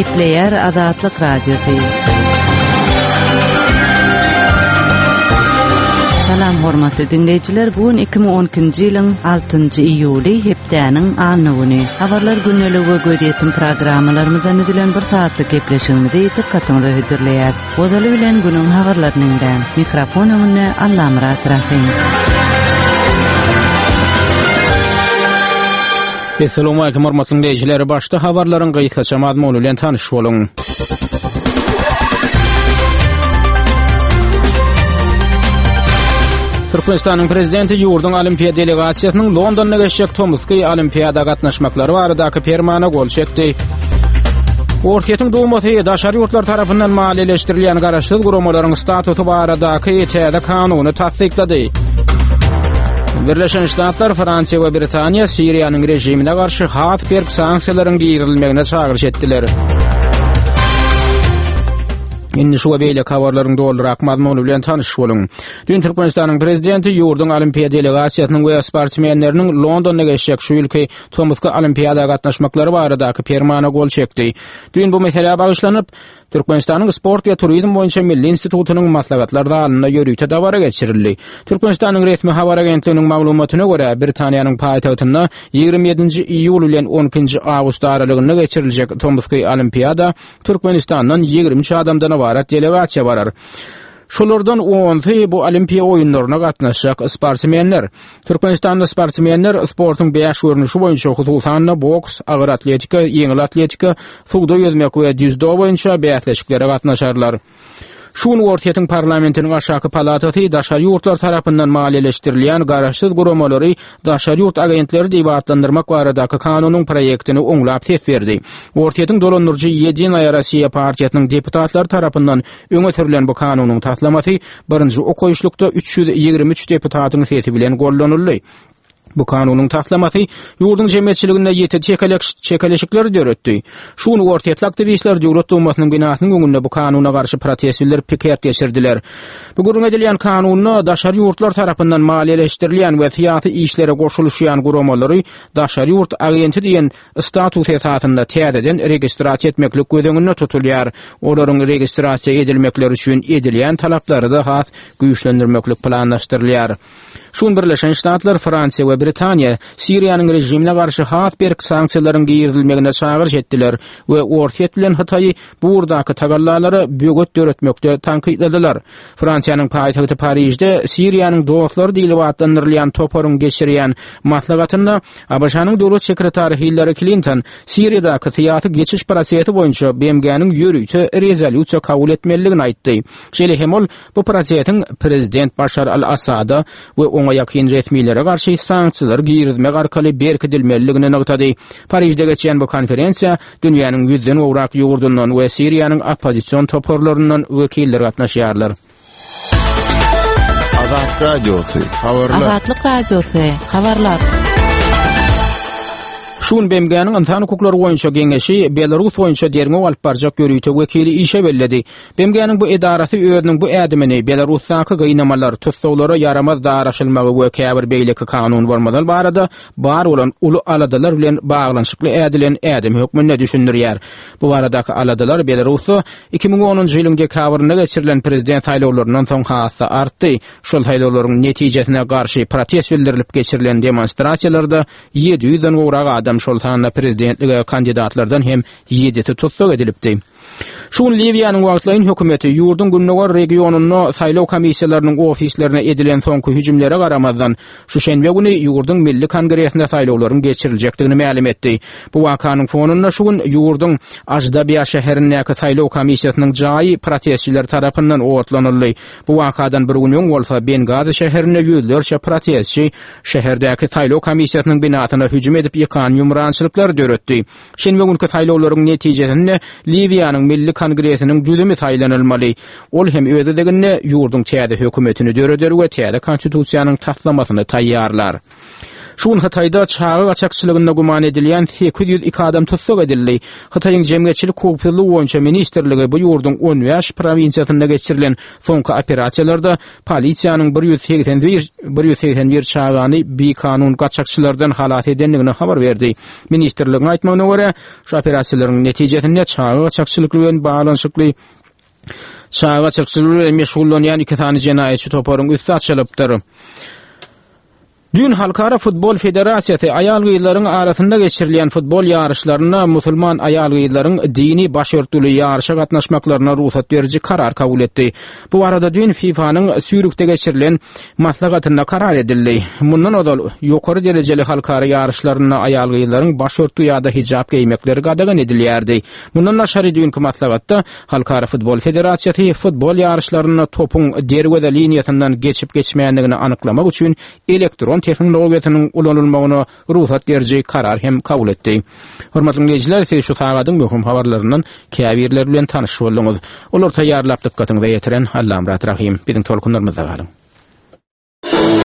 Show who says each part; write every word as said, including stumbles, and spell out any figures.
Speaker 1: Gepleýär Azatlyk Radiosy. Salam hormatly dinleýjiler, bu gün iki müň on ikinji ýylyň altynjy iýuly hepdäniň anna güni. Habarlar gündeligi we gözýetim programmalarymyzdan düzülen bir saatlyk gepleşigimizi dikkatiňize hödürleýär. Ozaly bilen günüň habarlaryny diňläň. Mikrofon öňünde Allamyrat Rahim.
Speaker 2: Esselamu aleýkum hormatly dinleýjiler. Başda habarlaryň gysgaça mazmuny bilen tanyş boluň. Türkmenistanyň prezidenti ýurduň olimpiýa delegasiýasynyň Londonda geçjek tomusky olimpiýada gatnaşmaklary baradaky permana gol çekdi. Orsýetiň Dumasy daşary ýurtlar tarapyndan maliýeleşdirilýän garaşsyz guramalaryň statusy baradaky täze kanuny tassyklady. Birleşen Ştatlar, Fransiýa we Britaniýa Siriýanyň režimine garşy has berk sanksiýalaryň girizilmegine çagyryş etdiler. Indi şu we beýleki habarlaryň dolurak mazmuny bilen tanyş boluň. Dün Türkmenistanyň prezidenti ýurduň olimpiýa delegasiýasynyň we sportsmenleriniň Londonda geçjek şu ýylky tomusky olimpiýada gatnaşmaklary baradaky permana gol çekdi. Dün bu meselä bagyşlanyp, Türkmenistanyň Sport we Turizm boýunça Milli institutynyň maslahatlar zalynda ýörite dabara geçirildi. Türkmenistanyň resmi habar agentliginiň maglumatyna görä, Britaniýanyň paýtagtynda ýigrimi ýedinji iýul bilen on ikinji awgust aralygynda geçiriljek tomusky olimpiýada Türkmenistandan ýigrimi üç adamdan ybarat delegasiýa barar. Şolardan onsy bu olimpiýa oýunlaryna gatnaşjak sportsmenler. Türkmenistanda sportsmenler sportuň bäş görnüşi boýunça, hususan-da boks, agyr atletika, ýeňil atletika, suwda ýüzmek we dzýudo boýunça bäsleşiklere gatnaşarlar. Şu gün Orsýetiň parlamentiniň aşaky palatasy daşary ýurtlar tarapyndan maliýeleşdirilýän garaşsyz guramalary daşary ýurt agentleri diýip atlandyrmak baradaky kanunyň proýektini oňlap ses berdi. Orsýetiň dolandyryjy Ýedinaýa Rossiýa partiýasynyň deputatlary tarapyndan öňe sürülen bu kanunyň taslamasy birinji okaýyşlykda üç ýüz ýigrimi üç deputatyň sesi bilen gollanyldy. Bu kanunyň taslamasy ýurduň jemgyýetçiliginde ýiti çekeleş-, çekeleşikleri döretdi. Şu gün Orsýetli aktiwistler Döwlet Dumasynyň binasynyň öňünde bu kanuna garşy protest bildirip piket geçirdiler. Bu gürrüň edilýän kanunda daşary ýurtlar tarapyndan maliýeleşdirilýän we syýasy işlere goşulyşýan guramalary daşary ýurt agenti diýen status esasynda täzeden registrasiýa etmeklik göz öňünde tutulýar. Olaryň registrasiýa edilmekleri üçin edilýän talaplary da has güýçlendirmeklik planlaşdyrylýar. Şu gün Birleşen Ştatlar, Fransiýa we Britaniýa Siriýanyň režimine garşy has berk sanksiýalaryň girizilmegine çagyryş etdiler we Orsýet bilen Hytaýy bu ugurdaky tagallalara böwet döretmekde tankytladylar. Fransiýanyň paýtagty Parižde Siriýanyň dostlary diýlip atlandyrylýan toparyň geçirýän maslahatynda A B Ş-nyň döwlet sekretary Hillary Clinton Siriýadaky syýasy geçiş prosesi boýunça B M G-niň ýörite rezolýusiýa kabul etmelidigini aýtdy. Şeýle hem ol bu prosesiň prezident Başar al-Assada we oňa ýakyn resmilere garşy sanksiýalar girizmek arkaly berkidilmelidigini nygtady. Parižde geçen bu konferensiýa dünýäniň ýüzden gowrak ýurdundan we Siriýanyň oppozision toparlaryndan wekiller gatnaşýarlar.
Speaker 3: Azat Radiosy, habarlar.
Speaker 1: Azatlyk Radiosy, habarlar.
Speaker 2: Şu gün B M G-niň ynsan hukuklary boýunça geňeşi Belarus boýunça derňew alyp barjak ýörite wekili işe belledi. B M G-niň bu edarasy özüniň bu ädimini Belarusdaky gynamalar, tussaglara ýaramaz daraşylmagy we käbir beýleki kanun bolmalar barada bar bolan uly aladalar bilen baglanyşykly ädilen ädim hökmünde düşündirýär. Bu baradaky aladalar Belarusda iki müň onunjy ýylyň dekabrynda geçirilen prezident saýlawlaryndan soň has-da artdy. Şol saýlawlaryň netijesine garşy protest bildirilip geçirilen demonstrasiýalarda ýedi ýüzden gowrak adam, şol sanda prezidentlige kandidatlardan hem ýedisi tussag edilipdi. Şu gün Liwiýanyň wagtlaýyn hökümeti ýurduň gündogar regionynda saýlaw komissiýalarynyň ofislerine edilen soňky hüjümlere garamazdan, şu şenbe güni ýurduň Milli Kongresinde saýlawlaryň geçiriljekdigini mälim etdi. Bu wakanyň fonunda şu gün ýurduň Ajdabiýa şäherindäki saýlaw komissiýasynyň jaýy protestçiler tarapyndan otlanyldy. Bu wakadan bir gün öň bolsa Bengazi şäherinde ýüzlerçe protestçi şäherdäki saýlaw komissiýasynyň binasyna hüjüm edip ýykan ýumrançylyklar döretdi. Şenbe günkü saýlawlaryň netijesinde Liwiýanyň Milli Kongresiniň düzümi saýlanylmaly. Ol hem öz gezeginde ýurduň täze hökümetini döreder we täze konstitusiýanyň taslamasyny taýýarlar. Şu gün Hytaýda çaga gaçakçylygynda güman edilýän sekiz ýüz iki adam tussag edildi. Hytaýyň Jemgyýetçilik howpsuzlygy boýunça ministrligi bu ýurduň on bäş prowinsiýasynda geçirilen soňky operasiýalarda polisiýanyň bir ýüz segsen bir, bir ýüz segsen bir çagany bikanun gaçakçylardan halas edendigini habar berdi. Ministrligiň aýtmagyna görä, şu operasiýalaryň netijesinde çaga gaçakçylyk bilen baglanyşykly çaga gaçakçylygy bilen meşgullanýan iki sany jenaýatçy toparyň üsti açylypdyr. Dün Halkara Futbol Federasiýasy aýal-gyzlaryň arasynda geçirilýän futbol ýaryşlarynda musulman aýal-gyzlaryň dini başörtüli ýaryşa gatnaşmaklaryna rugsat beriji karar kabul etdi. Bu arada dün FIFA-nyň Sýurihde geçirilen maslahatynda karar edildi. Mundan ozal ýokary derejeli halkara ýaryşlarynda aýal-gyzlaryň başörtü ýa-da hijap geýmekleri gadagan edilýärdi. Mundan daşary dünkü maslahatda Halkara Futbol Federasiýasy futbol ýaryşlarynda topuň derweze liniýasyndan geçip geçmeýändigini anyklamak üçin elektron tehnologiýasynyň ulanylmagyna rugsat beriji karar hem kabul etdi. Hormatly dinleýjiler, siz şu sagadyň möhüm habarlaryndan käbirleri bilen tanyş bolduňyz. Olar taýýarlap dykgatyňyza ýetiren Allamyrat Rahim. Biziň tolkunlarymyzda galyň.